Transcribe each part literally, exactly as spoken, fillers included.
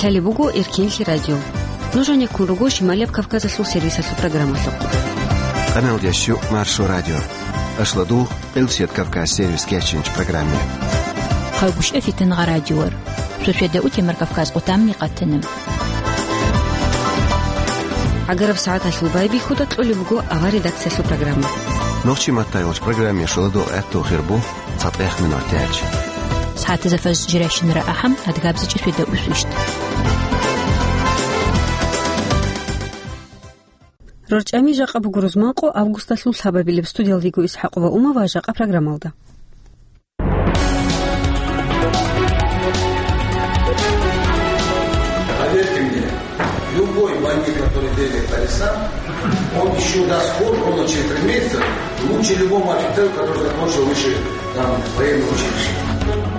Гьале буго Эркенлъи радио. Нуж гьанеккун руго Шималияб Кавказалъул сервисалъул программалъухъ. Къаналдящу Маршо радио. Ашладугъ, Къилсият Кавказ сервис кечинч программе. Хъавгушев Фитангъа радиор. Шошеда утемар Кавказ къутамни къатана. ГӀагараб сагӀаталъул байбихьуда кьолеб буго авар редакциялъул программа. Нохчи маттайолч программе шуладугъ гӀатту хирбу. ЦатӀех минутач. СагӀатазда фаз жирайщинара ахӀам, адгабзичӀи светда усвищт. РорчӀами жакъа буго рузманкъо августалъул лъабабилеб. Студиялдего ИсхӀакъова Ума ва жакъа программалда. Поверьте мне, любой бандит, который бегает по лесам, он ещё даст ход ровно через три месяца, лучше любому офицеру, который закончил высшее, там, военное училище.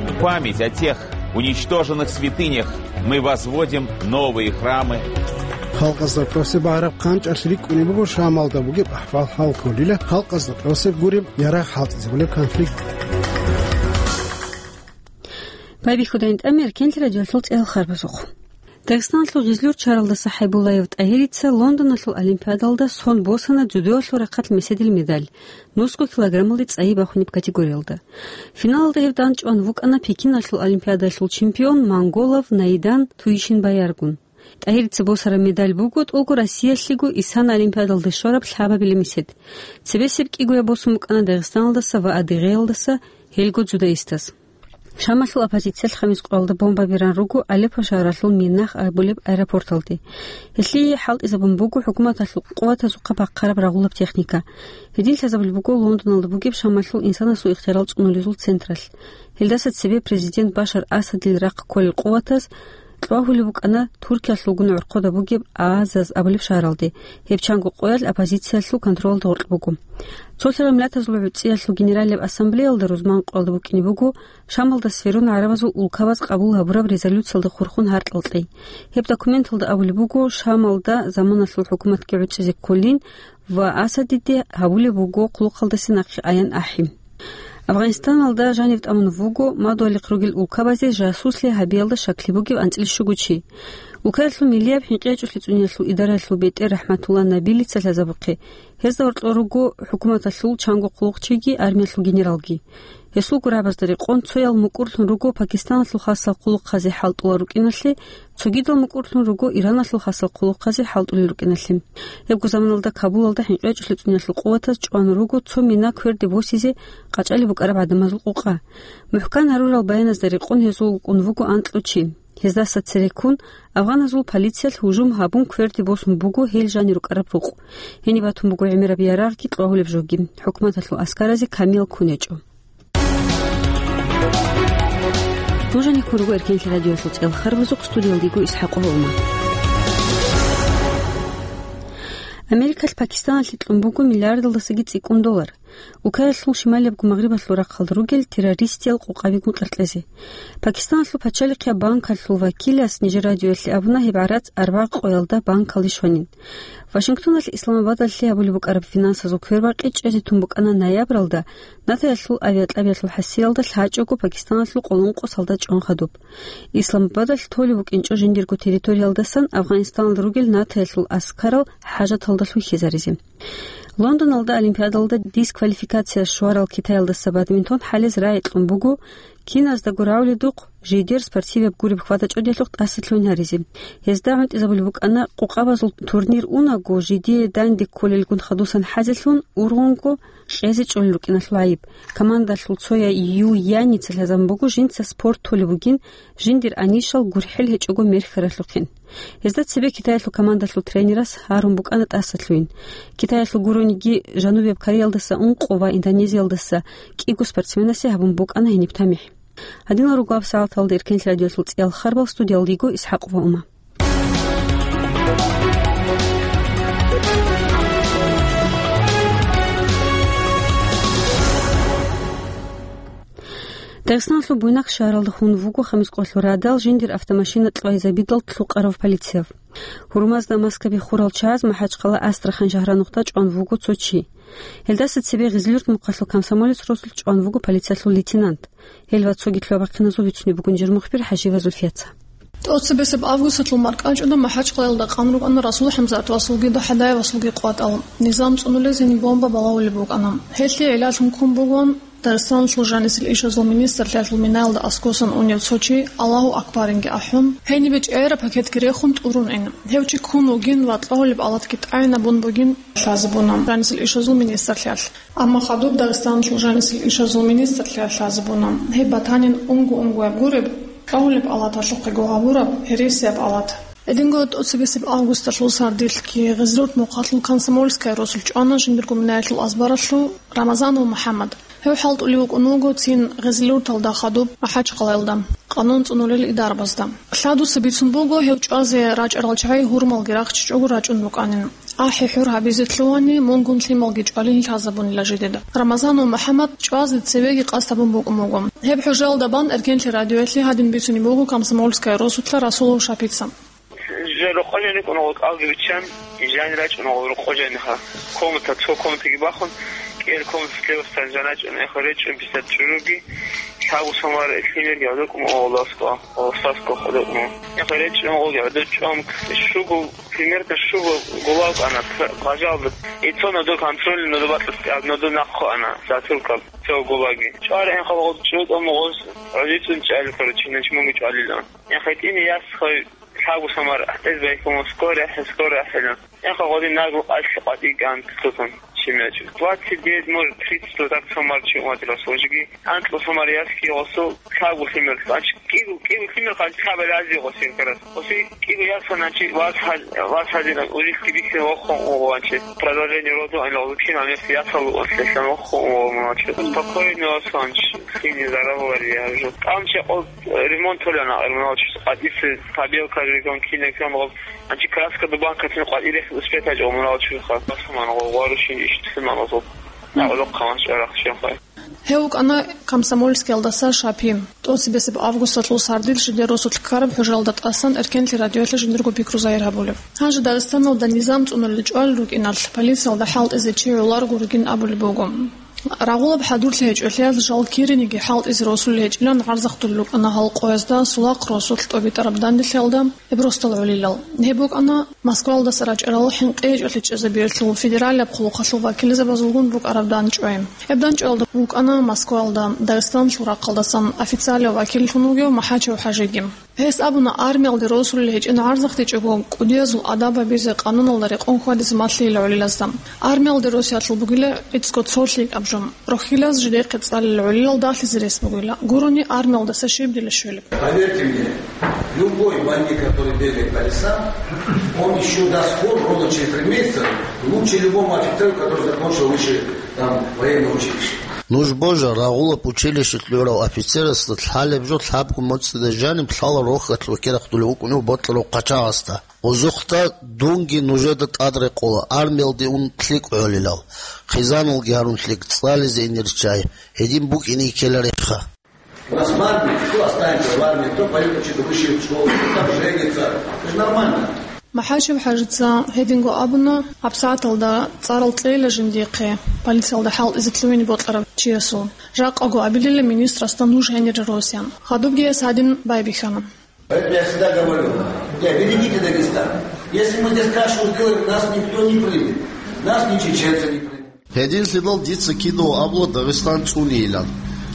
В память о тех уничтоженных святынях мы возводим новые храмы. Халкъазда кьосе багьараб хъанчӀалъ рикӀкӀунеб буго Шамалда бугеб ахӀвал хӀал кколила, халкъазда кьосе гуреб ярагъ хӀалтӀизабулеб конфликт. Байбихьудайин тӀамер Эркенлъи радиоялъул цӀел харбазухъ. Дагъистаналъул гъизлур чаралдаса ХӀайбуллаев ТӀагьирица Лондоналъул олимпиадалда сон босана дзюдоялъул рахъалъ меседил медаль, нусго килограммалде цӀайи бахунеб категориялда. Финалалда гьев данчӀван вукӀана Пекиналъул олимпиадалъул чемпион монголов Наидан Туишинбаяргун. ТӀагьирица босараб медаль буго тӀолго Россиялъего Исана олимпиадалде щвараб лъабабилеб месед. Цебесеб кӀигояб босун букӀана Дагъистаналдаса ва Адыгеялдаса, гьелго дзюдоистаз. Шамалъул оппозициялъ хамис къоялда бомба беран руго Алеппо шагьаралъул Минах абулеб аэропорталде. Гьелъие хӀалтӀизабун буго хӀукуматалъул къуватазухъа бахъараб рагъулаб техника. Гьедин лъазабулеб буго Лондоналда бугеб Шамалъул инсанасул ихтиярал цӀунулезул централъ. Гьелдаса цебе президент Башар Асадил рахъ кколел къуватаз кьвагьулеб букӀана Туркиялъулгун гӀорхъода бугеб Азаз абулеб шагьаралде. Гьеб чанго къоялъ оппозициялъул контролалда гъоркь буго. Цолъарал Миллатазул ГӀуцӀиялъул Генералияб Ассамблеялда рузман къоялда букӀине буго Шамалда сверун гӀарабазул улкабаз къабул гьабураб резолюциялда хурхун гьаркьал кьей. Гьеб документалда абулеб буго Шамалда заманалъул хӀукуматги гӀуцӀизе кколин ва Асадиде гьабулеб буго хъулухъалдаса нахъе аян ахӀи. Афганистаналда жанив тӀамун вуго мадугьалихъ ругел улкабазе жасуслъи гьабиялда щаклъи бугев анцӀила щуго чи. Улкаялъул миллияб хӀинкъи гьечӀолъи цӀуниялъул идараялъул бетӀер РахӀматулла Набилица лъазабухъе. Гьезда гьоркьор руго хӀукуматалъул чанго хъулухъчиги, армиялъул генералги. Гьесул гурабазда рекъон цоял мукӀурлъун руго Пакистаналъул хасал хъулухъазе хӀалтӀулел рукӀиналъе, цогидал мукӀурлъун руго Ираналъул хасал хъулухъазе хӀалтӀулел рукӀиналъе. Гьебго заманалда Кабулалда хӀинкъи гьечӀолъи цӀуниялъул къуватаз чӀван руго цо мина кверде босизе къачӀалеб букӀараб гӀадамазул къукъа. МухӀкан гьарурал баяназда рекъон гьезул вукӀун вуго анкьго чи. Гьездаса цереккун, афганазул полициялъ гьужум гьабун кверде босун буго гьел жанир рукӀараб рукъ. Гьениб батун буго гӀемераб ярагъги кьвагьулеб жоги. ХӀукуматалъул аскаразе камиял ккун гьечӀо. Нуж гьанеккун руго Эркенлъи радиоялъул цӀел харбазухъ, студиялдего ИсхӀакъова Ума. Америкалъ Пакистаналъе кьун буго миллиардалдасаги цӀикӀкӀун доллар. Улкаялъул шималиябго магърибалъул рахъалда ругел террористиял къукъабигун къеркьезе. Пакистаналъул пачалихъияб банкалъул вакилас нижер радиоялъе абуна гьеб гӀарац арбагъ къоялда банкалде щванин. Вашингтоналъ Исламабадалъе гьабулеб букӀараб финансазул квербакъи чӀезе тун букӀана ноябралда НАТОялъул авиакьабиялъул хӀасиялда лъачӀого Пакистаналъул къоло ункъо солдат чӀван хадуб. Исламабадалъ толеб букӀинчӀо жиндирго территориялдасан Афганистаналда ругел НАТОялъул аскарал хӀажаталда лъухьизаризе. Лондоналда Олимпиадалда дисквалификация щварал Китаялдаса бадминтон хӀалез рагӀи кьун буго, киназдаго равлидухъ жидер спортиваб гуреб хьвада-чӀудиялъухъ тӀасалъугьин гьаризе. Гьезда гӀунтӀизабулеб букӀана къукъабазул турнир унаго, жидее данде кколелгун хадусан хӀазелъун, ургъунго кьезе чӀолел рукӀиналъул гӀайиб. Командалъул цояй Ю Яница лъазабун буго жинца спорт толеб бугин, жиндир анищал гурхӀел гьечӀого мерхьаралъухъин. Гьезда цебе Китаялъул командалъул тренерас гьарун букӀана тӀасалъугьин. Китаялъул гурониги Жанубияб Кореялдаса ункъо ва Индонезиялдаса кӀиго спортсменасе гьабун букӀана гьениб тамихӀ. Гьадинал руго гьаб сагӀаталда Эркенлъи радиоялъул цӀиял харбал, студиялдего ИсхӀакъова Ума. Дагъистаналъул Буйнакск шагьаралда хун вуго хамис къоялъул радал жиндир автомашина кьвайзабидал лъукъарав полицияб. Гьурмазда маскаби хурал чагӀаз МахӀачхъала Астрахань шагьранухъда чӀван вуго цо чи. Гьелдаса цебе Гъизлюрт мухъалъул комсомолец росулъ чӀван вуго полициялъул лейтенант. Гьел ва цоги лъугьа-бахъиназул вицунеб бугин жир мухбир ХӀажиева Зульфияца. ТӀоцебесеб августалъул маркӀачӀуда МахӀачкъалаялда къан рукӀана Расул ХӀамзатовасулги ДахӀадаевасулги къватӀал. Низам цӀунулезин бомба балагьулеб букӀана. Гьелъие гӀиллалъун ккун бугоан Дагъистаналъул жанисел ишазул министрлъиялъул минаялда аскосан унев цо чи, Аллагьу акбаринги ахӀун, гьенибе чӀегӀераб пакетги рехун тӀурун ин. Гьев чи ккун вугин ва кьогьулеб алатги тӀагӀинабун бугин лъазабуна жанисел ишазул министрлъиялъ. Амма хадуб Дагъистаналъул жанисел ишазул министрлъиялъ лъазабуна, гьеб батанин унго-унгояб гуреб, кьогьулеб алаталъухъего гьабураб гьересияб алат. Гьединго тӀоцебесеб августалъул сардилъги Гъезлурт мухъалъул Комсомольская росулъ чӀвана жиндирго минаялъул азбаралъув Рамазанов МухӀаммад. Гьев хӀалтӀулев вукӀун вуго цин Гъезлурталда хадуб МахӀачкъалаялда, къанун цӀунулел идарабазда. Лъадуса бицун буго, гьев чӀвазе рачӀарал чагӀи гьурмалги рахчичӀого рачӀун рукӀанин. АхӀи-хӀур гьабизе лъугьани, мунгун лъималги чӀвалин лъазабунила жидеда. Рамазанов МухӀаммад чӀвазе цевеги къасд гьабун букӀун буго. Гьеб хӀужалда бан Эркенлъи радиоялъе гьадин бицунеб буго Комсомольская росулъа Расулов Шапица. Жа рокъо жаниб кӀуна гъол кӀалги биччан, жани рачӀуна гъол рокъо жаниха. Комната, цо комнатаги бахун, кӀел комната слевасдасан жан рачӀуна, эхо речӀун писат чӀужуги, лъабго сомар лъимерги гӀодокӀун гъоласго, гъолсасго гӀодокӀун. Эхо речӀун гъолги гӀодочӀун, шугу, примерно шугу гулав кӀана, п-, бажалда. Ицо нодо контроль, нодо батӀас, нодо нахъо ана, затылка, цо гулаги. ЧӀвар энхъал гъол чӀутӀун гъоз, гӀодицун чӀал, короче, начмунги чӀвалилан. Эхо тӀине яс хой, лъабго сомар, гӀатӀез байхьун, скоро ахӀе, скоро ахӀела. Эхо гъодин нагу къалъ къватӀи кӀан тутун, чимечӀ. Двадцать девять, может, тридцать, вот так сомар чи уматила сложги. Анкьа сомар яски гъосу лъабго лъимер, значит, кӀиго, кӀиго лъимер къанчӀ хабал ази гъосин карас. Гъоси кӀиго ясаначи вас хал-, вас хазина, улилъги бихьин вохун угъванчи. Продолжение рода, ани лъугьун, ан яс ясал угъван лъелъан вохун угъванчи. Спокойно, Асланч, хини зарал вари, я жо. Там чекъо ремонт толана, ремонт къадиси побелка регион кине кам гъоб. Анчи краска дубан катин къватӀирех успетач омурал чуха. Басман гъо гъварушин иштисман гъо. Нагъуло хъамас чарах чуха. Гьев вукӀана Комсомольскиялдаса Шапи. ТӀоцебесеб августалъул сардил жидер росулъ ккараб хӀужалда тӀасан Эркенлъи радиоялъа жиндирго пикру загьир гьабулев. Гьанже Дагъистаналда низам цӀунулел чӀвал рукӀиналъ, полициялда хӀалтӀизе чи гӀоларого ругин абулеб буго. Рагъулаб хӀадурлъи гьечӀолъиялъ жал кириниги хӀалтӀизе росулел гьечӀилан гӀарзахъулел рукӀана гьал къоязда Сулахъ росулъ тӀобитӀараб данделъиялда гьеб росдал гӀолилал. Гьеб букӀана Москваялдаса рачӀарал хӀинкъи гьечӀолъи чӀезабиялъул федералияб хъулухъалъул вакилзабазулгун букӀараб дандчӀвай. Гьеб дандчӀваялда вукӀана Москваялда Дагъистаналъул рахъалдасан официалияв вакиллъун вугев МахӀачев ХӀажиги. Гьес абуна, армиялде росулел гьечӀин гӀарзахъдичӀого, кӀудиязул адаб гьабизе, къануналда рекъон хьвадизе малъила гӀолилазда. Армиялде росиялъул бугила гӀицӀго цо лъикӀаб жо. Рохьилаз жидехъе цӀалила гӀолилал дагьлъизе рес бугила. Гурони армиялдаса щиб дила щвелеб. Поверьте мне, любой бандит, который бегает по лесам, он ещё даст фору ровно через три месяца лучше любому офицеру, который закончил высшее там военное училище. Нуж божа, рагъулаб училищелъ гӀурав офицерасда лъалеб жо лъабго моцӀида жаниб лъала рохьалъ вакерахъулев вукӀунев бокьарав хъачагъасда. Гъозухъда дунги нужеда тӀад рекъола, армиялде ун лъикӀ гӀолилал, хъизаналги гьарун лъикӀ, цӀализе инер чагӀи, гьедин букӀине ккела рехха. У нас в армии, кто останется в армии, кто пойдет учиться в высшую школу, кто там женится. Это же нормально. МахӀачев ХӀажица гьединго абуна, гьабсагӀаталда цӀарал кьейила жиндихъе, полициялда хӀалтӀизе лъугьине бокьарав чиясул. Жакъаго абилила министрасда нуж гьенире росиян. Хадубги гьес гьадин байбихьана. Поэтому я всегда говорю, не, берегите Дагестан. Если мы здесь кашу сделаем, нас никто не примет. Нас ни чеченцы не примут. Гьединлъидал дица кидаго абула Дагъистан цӀунейилан.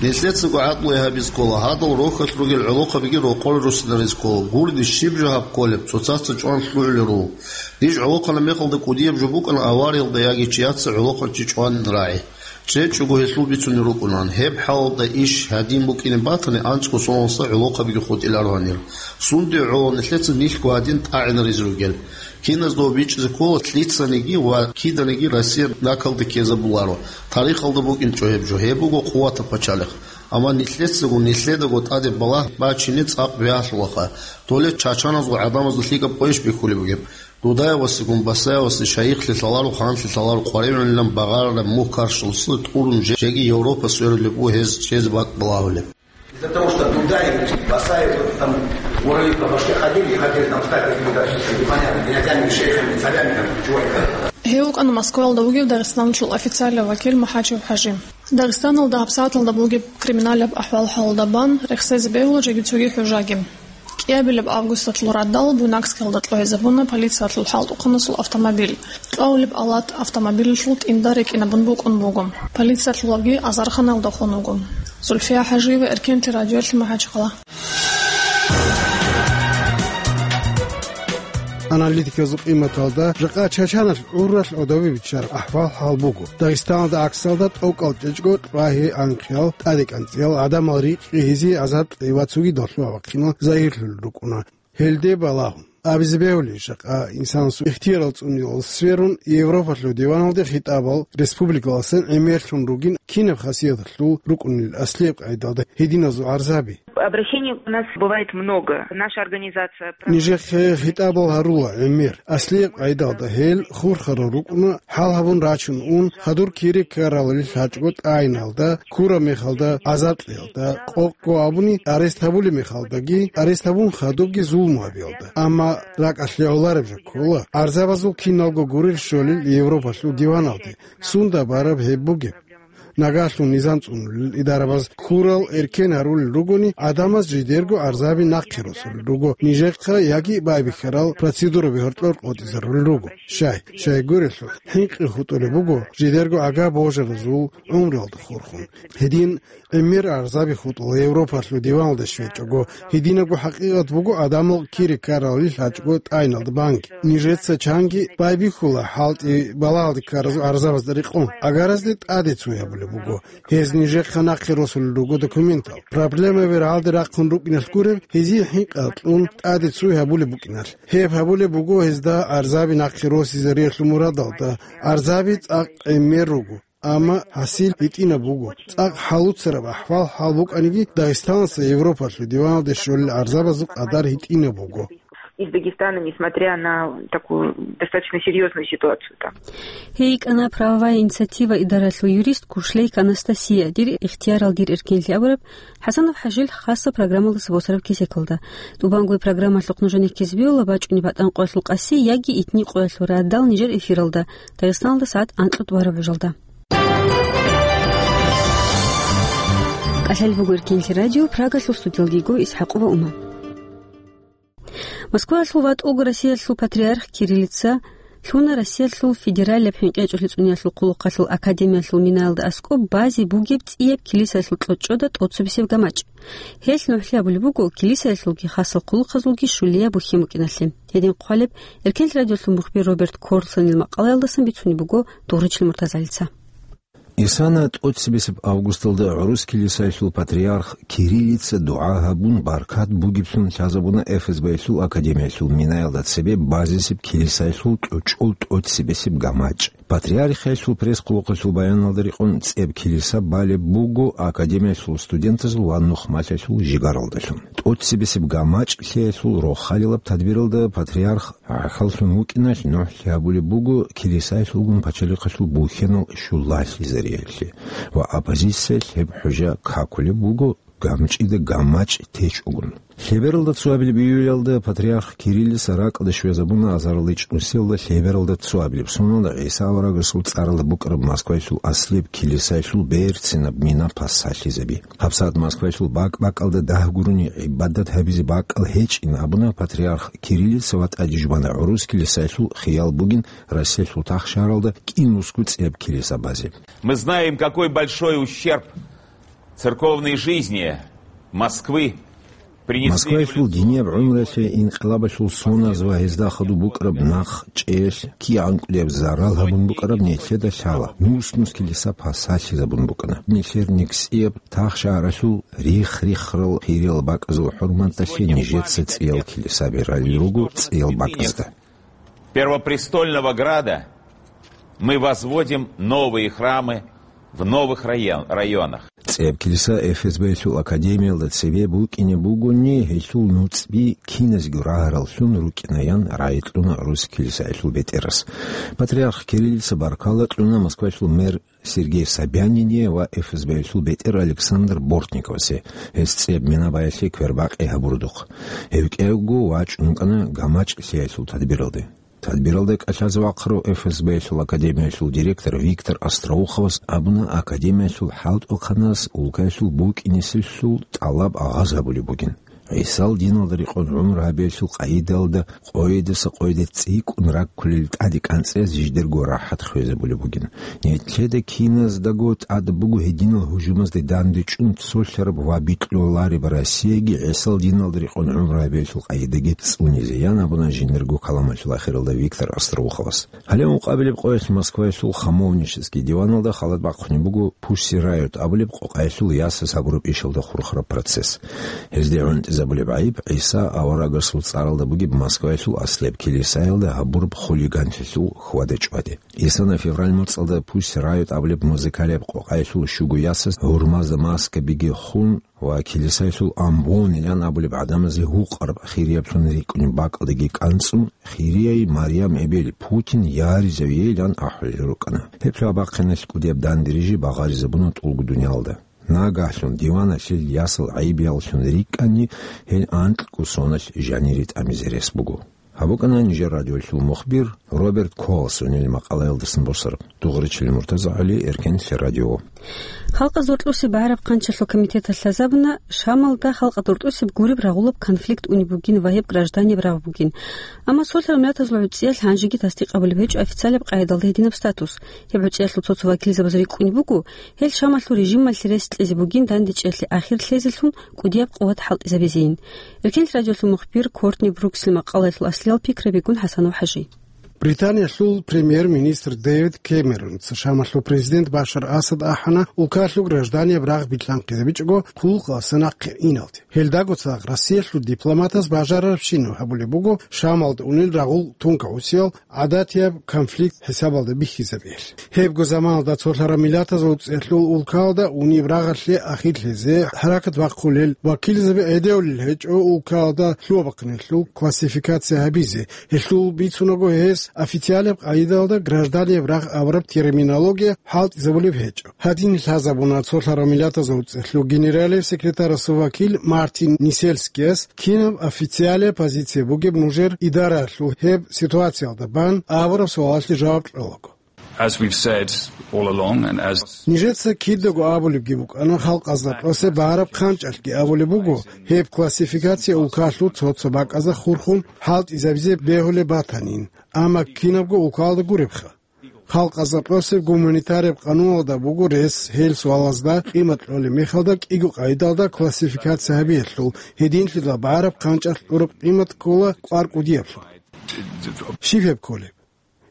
Нилъецаго гӀакълу гьабиз ккола, гьадал рохьалъ ругел гӀолохъабиги рокъоре руссинариз ккола. Гурони щиб жо гьаб кколеб, цоцаца чӀван лъугӀулел руго. Ниж гӀолохъанаб мехалда кӀудияб жо букӀана авариялда яги чияца гӀолохъанчи чӀван рагӀи. ЧӀечӀого гьелъул бицунел рукӀунан. Гьеб хӀалалда иш гьадин букӀине батани, анцӀго соналдаса гӀолохъабиги хутӀиларо гьанир. Сундуе гӀоло нилъеца нилъго гьадин тӀагӀинаризе ругел. Киназда бичӀчӀизе ккола лъицаниги ва киданиги Россия накалде ккезабуларо. Тарихалда букӀинчӀо гьеб жо. Гьеб буго къуватаб пачалихъ. Амма нилъецаго, нилъедаго тӀаде балагь бачине цӀакъ бегьалъулаха. Доле чачаназул гӀадамазда лъикӀаб къойищ бихьулеб бугеб. Дудаевасегун Басаевасе шайихлъи лъаларо, ханлъи лъаларо, къваригӀунилан багъарараб мухь каршалъуса тӀурун жеги Европа сверулеб буго гьез чӀезе бакӀ балагьулеб. Из-за того, что Дудаев, Басаев, вот там уровень по башке ходили и хотели там стать какими-то непонятными князьями, шейхами, царями, там, чего это. Гьев вукӀана Москваялда вугев Дагъистаналъул официалияв вакил МахӀачев ХӀажи. Дагъистаналда гьабсагӀаталда бугеб криминалаб ахӀвал-хӀалалда бан рехсезе бегьула жеги цоги хӀужаги. Кьабилеб августалъул радал Буйнакскиялда кьвайзабуна полициялъул хӀалтӀухъанасул автомобиль. Кьавулеб алат автомобилалъул тӀинда рекӀинабун букӀун буго. Полициялъулаги азарханалда хун вуго. Зульфия ХӀажиева, Эркенлъи радиолъи, МахӀачхъала. Аналитикалъул къиматалда, жакъа Чачаналъ гӀуралъ гӀодове биччараб ахӀвал-хӀал буго. Дагъистаналда гӀаксалда тӀокӀал чӀечӀго, кьвагьи-анкьиял, тӀаде-кӀанцӀиял, гӀадамал рикьи гьезие азар кьеги ва цоги долъуа вахъинал загьирлъулел рукӀуна. Гьелде балагьун абизе бегьулищ, жакъа инсанасул ихтиярал цӀуниялда сверун, Европалъул диваналде хитӀабал республикаласан гӀемерлъун ругин, кинаб хасияталъул рукӀунел аслияб къайдалда гьединазул гӀарзаби? Обращений у нас бывает много. Наша организация... Нижехъе хитӀабал гьарула гӀемер. Аслияб къайдалда гьел хурхарал рукӀуна, хӀал гьабун рачун ун, хадур кири ккаралел лъачӀого тӀагӀиналда, ккураб мехалда, гӀазаб кьеялда, къокъго абуни, арест гьабулеб мехалдаги, арест гьабун хадубги зулму гьабиялда. Амма ракӀалъ лъегӀолареб жо ккола, гӀарзабазул киналго гурел щолел Европалъул диваналде, сунда бараб гьеб бугеб. Нагагьлъун низам цӀунулел идарабаз ккурал эркен гьарулел ругони, гӀадамаз жидерго гӀарзаби нахъе росулел руго, нижехъа яги байбихьарал процедураби гьоркьор къотӀизарулел руго. Щай, щай гурелъул, хӀинкъи хутӀулеб буго жидерго ага божаразул гӀумруялда хурхун. Гьедин гӀемер гӀарзаби хутӀула Европалъул диваналде щвечӀого, гьединабго хӀакъикъат буго гӀадамал кири ккаралел лъачӀого тӀагӀиналда банги. Нижеца чанги байбихьула хӀалтӀи балагьалде ккаразул гӀарзабазда рекъон. Агаразде тӀаде цой гьабулеб буго. Гьез нижехъа нахъе росулел руго документал. Проблемаби рагӀалде рахъун рукӀиналъ гуреб, гьезие хӀинкъи кьун тӀаде цой гьабулеб букӀиналъ. Гьеб гьабулеб буго гьезда гӀарзаби нахъе росизариялъул мурадалда. ГӀарзаби цӀакъ гӀемер руго. Амма гьасил гьитӀинаб буго. ЦӀакъ хӀалуцараб ахӀвал-хӀал букӀаниги, Дагъистаналъа Европалъул диваналде щолел гӀарзабазул къадар гьитӀинаб буго. Из Дагестана, несмотря на такую достаточно серьёзную ситуацию там. Гьей йикӀана правовая инициатива идаралъул юрист Кушлейк Анастасия, «Дир ихтиярал, дир эркенлъи» абураб ХӀасанов ХӀажил хасаб программалдаса босараб кесекалда. ТӀубанго программалъухъ нужеда ккезбиула бачӀунеб БатӀан къоялъул къаси яги итни къоялъул радал нижер эфиралда, Дагъистаналда сагӀат анкьго тӀубараб гӀужалда. КӀалъалеб буго Эркенлъи радио, Прагалъул студиялда йиго ИсхӀакъова Ума. Москваялъул ватӀулго Россиялъул патриарх Кириллица лъуна Россиялъул федералияб хӀинкъи гьечӀолъи цӀуниялъул хъулухъалъул академиялъул минаялда аскӀоб базе бугеб цӀияб килисаялъул кьучӀчӀуда тӀоцебесеб гамачӀ. Гьелъ нугӀлъи гьабулеб буго килисаялъулги хасал хъулухъазулги щулияб бухьен букӀиналъе. Гьедин хъвалеб Эркенлъи радиолъул мухбир Роберт Корлсонил макъалаялдасан бицунеб буго Дугъричил Муртазалица. Исана тӀоцебесеб августалда гӀурус килисаялъул патриарх Кириллица дугӀа гьабун, баркат бугеблъун лъазабуна ФСБ-ялъул академиялъул минаялда цебе базесеб килисаялъул кьучӀул тӀоцебесеб гамачӀ. Патриархиялъул пресс-хъулухъалъул баяналда рекъон, цӀеб килиса балеб буго академиялъул студентазул ва нухмалъиялъул жигаралдалъун. ТӀоцебесеб гамачӀ лъеялъул рохалилаб тадбиралда патриарх гӀахьаллъун вукӀиналъ нугӀлъи гьабулеб буго килисаялъулгун пачалихъалъул бухьенал щулалъизариялъе ва оппозициялъ гьеб хӀужа какулеб буго гамчӀида гамачӀ течӀогун. Лъебералда цоабилеб июлялда патриарх Кириллица ракӀалде щвезабуна азарилан ичӀнусиялда лъебералда цоабилеб соналда ГӀиса аварагасул цӀаралда букӀараб Москваялъул аслияб килисаялъул берцинаб мина пасалъизаби. ГьабсагӀат Москваялъул бакӀ-бакӀалда дагь гурони гӀибадат гьабизе бакӀал гьечӀин абуна патриарх Кириллица ва тӀаде жубана гӀурус килисаялъул хиял бугин Россиялъул тахшагьаралда кӀинусго цӀеб килиса базе. Мы знаем, какой большой ущерб церковной жизни Москвы принесли... Москваялъул динияб гӀумруялъе инкъилабалъул соназ ва гьезда хадуб букӀараб нахъчӀеялъ кигӀан кӀудияб зарал гьабун букӀараб нилъеда лъала. Нус-нус килиса пасалъизабун букӀана. Нилъер нигӀсияб тахшагьаралъул рихх-риххарал хириял бакӀазул хӀурматалъе нижеца цӀиял килисаби ралел руго цӀиял бакӀазда. Первопрестольного града мы возводим новые храмы в новых район-, районах. ЦӀеб килиса ФСБ-ялъул академиялда цебе букӀине бугони, гьелъул нуцӀби киназго рагьараллъун рукӀинаян рагӀи кьуна гӀурус килисаялъул бетӀерас. Патриарх Кириллица баркала кьуна Москваялъул мэр Сергей Собянине ва ФСБ-ялъул бетӀер Александр Бортниковасе, гьес цӀеб мина баялъе квербакъи гьабурудухъ. Гьев кӀиявго вачӀун вукӀана гамачӀ лъеялъул тадбиралде. Тадбиралда кӀалъазе вахъарав ФСБ-ялъул академиялъул директор Виктор Остроуховас абуна, академиялъул хӀалтӀухъанас улкаялъул букӀинеселъул тӀалаб агъаз гьабулеб бугин. ГӀисал диналда рекъон гӀумру гьабиялъул къагӀидаялда къойидаса къойиде цӀикӀкӀун раккулел тӀаде кӀанцӀиялъ жидерго рахӀат хвезабулеб бугин. Нилъеда киназдаго тӀад буго гьединал гьужумазде дандечӀун цолъараб ва бикьулареб Россияги ГӀисал диналда рекъон гӀумру гьабиялъул къагӀидаги цӀунизе, ян абуна жиндирго каламалъул ахиралда Виктор Остроуховас. Гьале ункъабилеб къоялъ Москваялъул Хамовнический диваналда халат бахъунеб буго Pussy Riot абулеб къокъаялъул ясаз гьабураб ишалда хурхараб процесс. Гьезде гӀунтӀизабулеб гӀайиб ГӀиса аварагасул цӀаралда бугеб Москваялъул аслияб килисаялда гьабураб хулиганлъилъул хьвада-чӀваде. Исана февраль моцӀалда Pussy Riot абулеб музыкалияб къокъаялъул щуго ясаз гьурмазда маскабиги хун ва килисаялъул амбонилан абулеб гӀадамазе гьукъараб хирияблъун рикӀкӀунеб бакӀалдеги кӀанцӀун, хирияй Марьям эбел Путин яризавейилан ахӀулел рукӀана. Гьеб лъабахъиналъ кӀудияб дандерижи багъаризабуна тӀулгу дуниялда. Нагагьлъун диваналъил ясал гӀайибияллъун рикӀкӀани, гьел анкьго соналъ жанире тӀамизе рес буго. Гьаб букӀана нижер радиолъул мухбир Роберт Колсонил макъалаялдасан босараб. Дугъричилин МуртазагӀали, Эркенлъи радио. Халкъазул рокьуси багӀараб хъанчалъул комитеталъ лъазабуна, Шамалда халкъазул рокьусеб гуреб рагъулаб конфликт унеб бугин ва гьеб гражданияб рагъ бугин. Амма цолъарал миллатазул гӀуцӀиялъ гьанжеги тасдикъ гьабулеб гьечӀо официалияб къагӀидалда гьединаб статус. Гьеб гӀуцӀиялъул цо-цо вакилзабаз рикӀкӀунеб буго, гьел Шамалъул режималъе рес кьезе бугин дандечӀеялъе ахир лъезелъун кӀудияб къуват хӀалтӀизабизейин. Эркенлъи радиолъул мухбир Кортни Бруксил макъалаялъул аслиял пикрабигун ХӀасанов ХӀажи. Британиялъул премьер-министр Дэвид Кэмеронца Шамалъул президент Башар Асад ахӀана, улкалъул гражданияб рагъ билълъанхъизабичӀого хъулухъалъа нахъе иналде. Гьелдаго цадахъ Россиялъул дипломатаз бажарарабщинаб гьабулеб буго Шамалда унел рагъул тункагӀусиял гӀадатияб конфликт хӀисабалда бихьизабиялъ. Гьебго заманалда цолъараб миллатазул цӀехлъул улкалда унеб рагъалъе ахирлъизе хӀаракат бахъулел вакилзаби гӀедевлел гьечӀо улкалда лъугьа-бахъиналъул классификация гьабизе, гьелъул бицунаго гьес официалияб къагӀидалда гражданияб рагъ абураб терминология хӀалтӀизабулеб гьечӀо. Гьадин лъазабуна цолъараб миллатазул цӀехлъул генералияб секретарасул вакил Мартин Несельскияс, кинаб официалияб позиция бугеб нужер идараялъул гьеб ситуациялда бан абураб суалалъе жаваб кьолаго. As we've said all along and as Нижеца кидаго абулебги букӀана, халкъазда тӀосе багьараб хъанчӀалъги абулеб буго, гьеб классификация улкалъул цо-цо бакӀазда хурхун хӀалтӀизабизе бегьулеб батанин, амма кинабго улкалда гуребха. Халкъазда тӀосеб гуманитареб къануналда буго рес гьел суалазда къимат кьолеб мехалда кӀиго къагӀидалда классификация гьабиялъул, гьединлъидал багьараб хъанчӀалъ кьураб къимат ккола кӀвар кӀудияблъун. Щиб гьеб кколеб?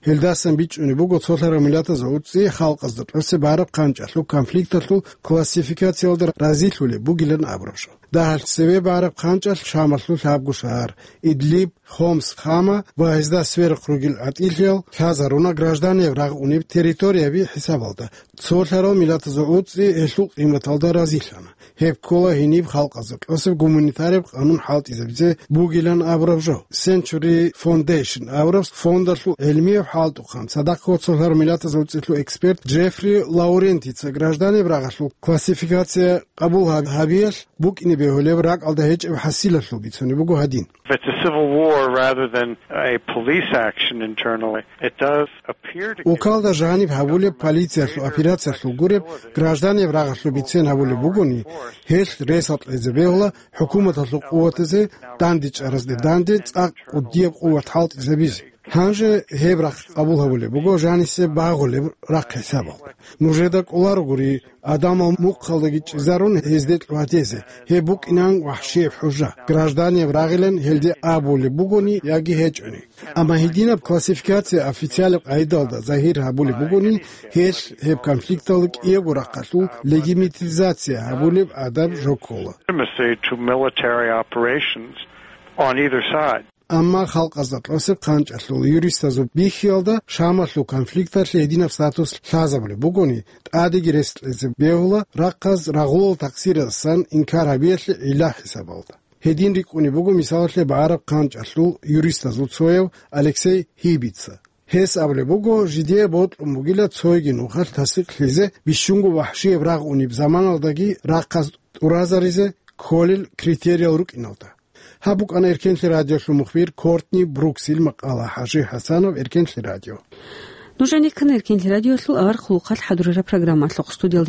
Гьелдасан бичӀчӀунеб буго цолъараб миллатазул гӀуцӀи халкъазда тӀосе багьараб хъанчӀалъул конфликталъул классификациялда разилъулеб бугилан абураб жо. Дагьалъ цеве багьараб хъанчӀалъ Шамалъул лъабго шагьар, Идлиб, Хомс, Хама ва гьезда сверухъ ругел гӀатӀилъиял лъазаруна гражданияб рагъ унеб территорияби хӀисабалда. Цолъарал миллатазул гӀуцӀи гьелъул къиматалда разилъана. Гьеб ккола гьениб халкъазда тӀосеб гуманитареб къанун хӀалтӀизабизе бугилан абураб жо. Century Foundation абураб фондалъул гӀелмияб хӀалтӀухъан, цадахъго цолъарал миллатазул гӀуцӀилъул эксперт Джеффри Лаурентица гражданиб рагъалъул классификация къабул гьаб-, гьабиялъ букӀине бегьулеб ракӀалда гьечӀеб хӀасилалъул бицунеб буго гьадин. If it's a civil war rather than a police action internally, it does appear to give Улкалда жаниб гьабулеб полициялъул операциялъул гуреб гражданиб рагъалъул бицен гьабулеб бугони, гьелъ ресал кьезе бегьула хӀукуматалъул къуватазе дандечӀаразде данде цӀакъ кӀудияб къуват хӀалтӀизабизе. Гьанже гьеб рахъ къабул гьабулеб буго жанисе багъулеб рахъ хӀисабалда. Нужеда кӀоларогури, гӀадамал мухъалдаги чӀезарун гьезде кьватезе, гьеб букӀинан вахӀшияб хӀужа, гражданияб рагъилан гьелде абулеб бугони яги гьечӀони. Амма гьединаб классификация официалаб къагӀидалда загьир гьабулеб бугони, гьелъ гьеб конфликталда кӀиябго рахъалъул легитимизация гьабулеб гӀадаб жо ккола. Legitimacy to military operations on either side. Амма халкъазда тӀосеб хъанчӀалъул юристазул бихьиялда Шамалъул конфликталъе гьединаб статус лъазабулеб бугони, тӀадеги рес кьезе бегьула рахъаз рагъулал такъсиразасан инкар гьабиялъе гӀилла хӀисабалда. Гьедин рикӀкӀунеб буго, мисалалъе, багӀараб хъанчӀалъул юристазул цояв Алексей Хибица. Гьес абулеб буго, жидее бокьун бугила цоги нухалъ тасдикълъизе бищунго вахӀшияб рагъ унеб заманалдаги рахъаз тӀуразаризе кколел критериял рукӀиналда. Гьаб букӀана Эркенлъи радиолъул мухбир Кортни Бруксил макъала. ХӀажи ХӀасанов, Эркенлъи радио. Нуж гӀенеккана Эркенлъи радиолъул авар хъулухъалъ хӀадурараб программалъухъ. Студиялда